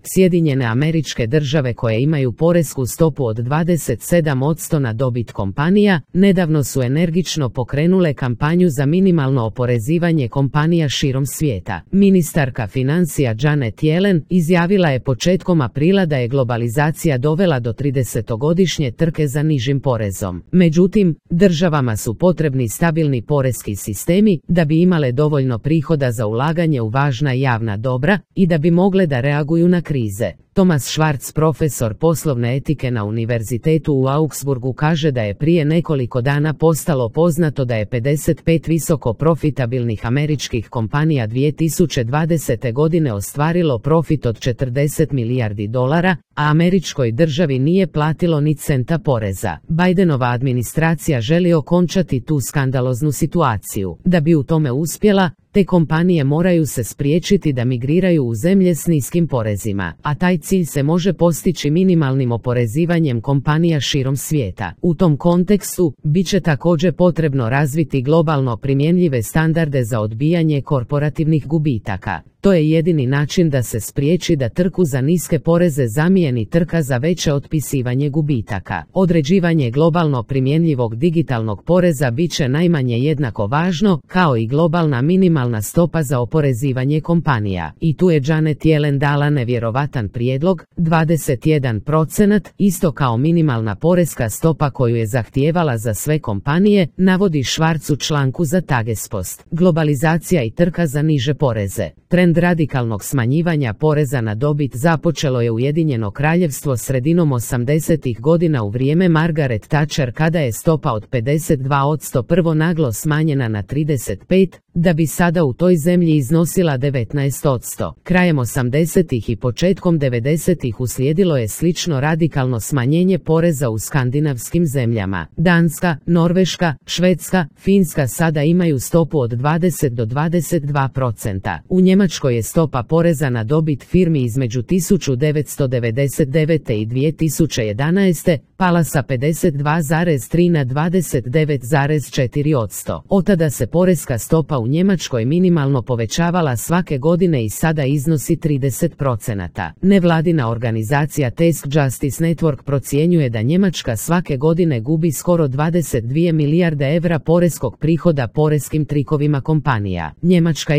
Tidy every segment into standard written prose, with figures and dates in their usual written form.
Sjedinjene Američke Države koje imaju poresku stopu od 27% na dobit kompanija, nedavno su energično pokrenule kampanju za minimalno oporezivanje kompanija širom svijeta. Ministarka financija Janet Yellen izjavila je početkom aprila da je globalizacija dovela do 30-godišnje trke za nižim porezom. Međutim, državama su potrebni stabilni poreski sistemi da bi imale dovoljno prihoda za ulaganje u važna javna dobra i da bi mogle da reaguju na krize. Thomas Schwartz, profesor poslovne etike na Univerzitetu u Augsburgu, kaže da je prije nekoliko dana postalo poznato da je 55 visoko profitabilnih američkih kompanija 2020. godine ostvarilo profit od 40 milijardi dolara, a američkoj državi nije platilo ni centa poreza. Bidenova administracija želi okončati tu skandaloznu situaciju. Da bi u tome uspjela, te kompanije moraju se spriječiti da migriraju u zemlje s niskim porezima, a taj cilj se može postići minimalnim oporezivanjem kompanija širom svijeta. U tom kontekstu, bit će također potrebno razviti globalno primjenjive standarde za odbijanje korporativnih gubitaka. To je jedini način da se spriječi da trku za niske poreze zamijeni trka za veće otpisivanje gubitaka. Određivanje globalno primjenjivog digitalnog poreza bit će najmanje jednako važno, kao i globalna minimalna stopa za oporezivanje kompanija. I tu je Janet Yellen dala nevjerovatan prijedlog, 21%, isto kao minimalna poreska stopa koju je zahtijevala za sve kompanije, navodi Schwartz u članku za Tagespost. Globalizacija i trka za niže poreze. Trend radikalnog smanjivanja poreza na dobit započelo je Ujedinjeno Kraljevstvo sredinom 80-ih godina u vrijeme Margaret Thatcher, kada je stopa od 52% prvo naglo smanjena na 35%, da bi sada u toj zemlji iznosila 19%. Krajem 80-ih i početkom 90-ih uslijedilo je slično radikalno smanjenje poreza u skandinavskim zemljama. Danska, Norveška, Švedska, Finska sada imaju stopu od 20 do 22%. U Njemačkoj je stopa poreza na dobit firmi između 1999. i 2011. pala sa 52,3 na 29,4%. Od tada se poreska stopa u Njemačkoj minimalno povećavala svake godine i sada iznosi 30%. Nevladina organizacija Task Justice Network procjenjuje da Njemačka svake godine gubi skoro 22 milijarde evra poreskog prihoda poreskim trikovima kompanija. Njemačka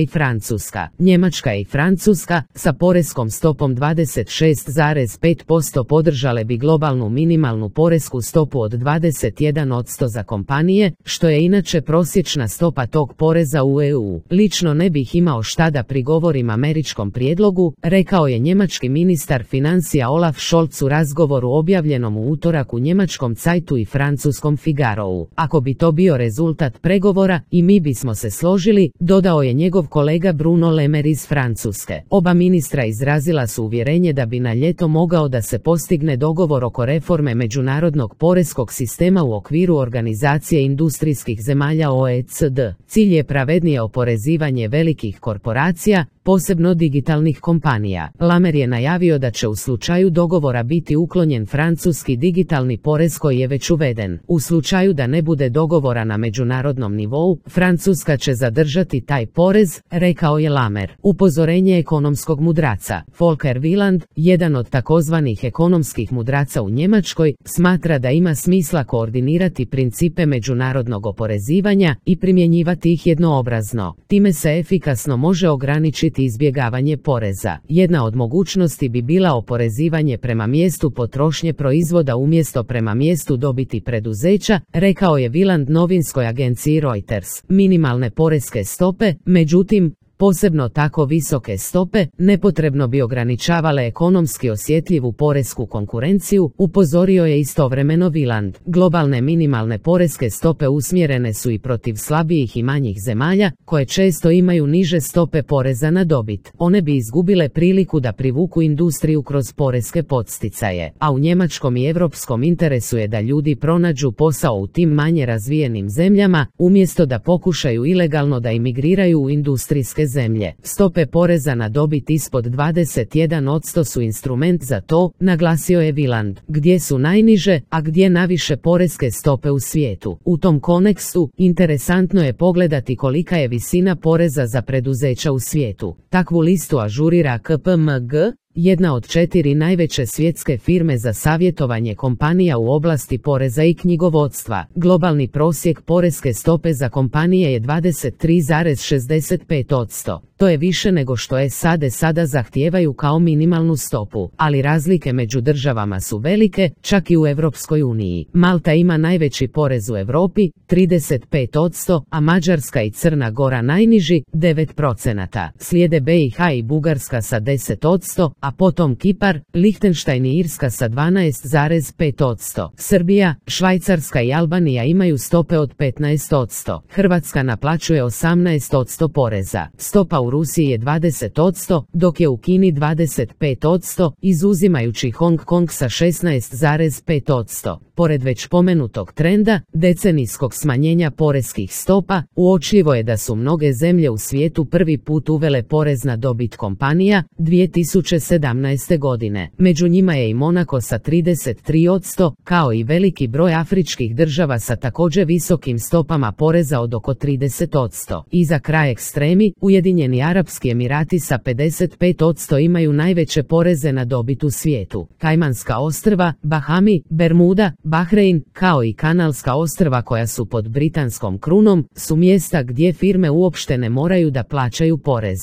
i Francuska sa poreskom stopom 26,5% podržale bi globalnu minimalnu poresku stopu od 21% za kompanije, što je inače prosječna stopa tog poreza u EU. Lično ne bih imao šta da prigovorim američkom prijedlogu, rekao je njemački ministar financija Olaf Scholz u razgovoru objavljenom u utorak u njemačkom Zeitu i francuskom Figarou. Ako bi to bio rezultat pregovora, i mi bismo se složili, dodao je njegov kolega Bruno Le Maire iz Francuske. Oba ministra izrazila su uvjerenje da bi na ljeto mogao da se postigne dogovor oko reforme međunarodnog poreskog sistema u okviru Organizacije industrijskih zemalja OECD. Cilj je pravednije oporezivanje velikih korporacija, posebno digitalnih kompanija. Lamer je najavio da će u slučaju dogovora biti uklonjen francuski digitalni porez koji je već uveden. U slučaju da ne bude dogovora na međunarodnom nivou, Francuska će zadržati taj porez, rekao je Lamer. Upozorenje ekonomskog mudraca. Volker Wieland, jedan od takozvanih ekonomskih mudraca u Njemačkoj, smatra da ima smisla koordinirati principe međunarodnog oporezivanja i primjenjivati ih jednoobrazno. Time se efikasno može ograničiti izbjegavanje poreza. Jedna od mogućnosti bi bila oporezivanje prema mjestu potrošnje proizvoda umjesto prema mjestu dobiti preduzeća, rekao je Wieland novinskoj agenciji Reuters. Minimalne poreske stope, međutim, posebno tako visoke stope, nepotrebno bi ograničavale ekonomski osjetljivu poresku konkurenciju, upozorio je istovremeno Wieland. Globalne minimalne poreske stope usmjerene su i protiv slabijih i manjih zemalja, koje često imaju niže stope poreza na dobit. One bi izgubile priliku da privuku industriju kroz poreske podsticaje, a u njemačkom i europskom interesu je da ljudi pronađu posao u tim manje razvijenim zemljama, umjesto da pokušaju ilegalno da imigriraju u industrijske zemlje. Stope poreza na dobit ispod 21% su instrument za to, naglasio je Wieland. Gdje su najniže, a gdje naviše poreske stope u svijetu. U tom kontekstu, interesantno je pogledati kolika je visina poreza za preduzeća u svijetu. Takvu listu ažurira KPMG, jedna od 4 najveće svjetske firme za savjetovanje kompanija u oblasti poreza i knjigovodstva. Globalni prosjek poreske stope za kompanije je 23,65%. To je više nego što SAD sada zahtijevaju kao minimalnu stopu, ali razlike među državama su velike, čak i u Europskoj uniji. Malta ima najveći porez u Europi, 35%, a Mađarska i Crna Gora najniži, 9%. Slijede BiH i Bugarska sa 10%, a potom Kipar, Lihtenštajn i Irska sa 12,5%. Srbija, Švajcarska i Albanija imaju stope od 15%. Hrvatska naplaćuje 18% poreza. Stopa u Rusiji je 20%, dok je u Kini 25%, izuzimajući Hong Kong sa 16,5%. Pored već pomenutog trenda, decenijskog smanjenja poreskih stopa, uočljivo je da su mnoge zemlje u svijetu prvi put uvele porez na dobit kompanija 2017. godine. Među njima je i Monako sa 33%, kao i veliki broj afričkih država sa također visokim stopama poreza od oko 30%. I za kraj ekstremi, Ujedinjeni Arapski Emirati sa 55% imaju najveće poreze na dobit u svijetu. Kajmanska ostrva, Bahami, Bermuda, Bahrein, kao i Kanalska ostrva koja su pod britanskom krunom, su mjesta gdje firme uopšte ne moraju da plaćaju porez.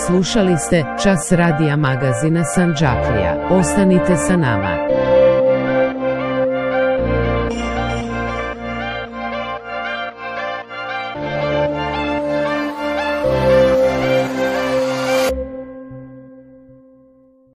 Slušali ste Čas radija magazina Sandžaklija. Ostanite sa nama.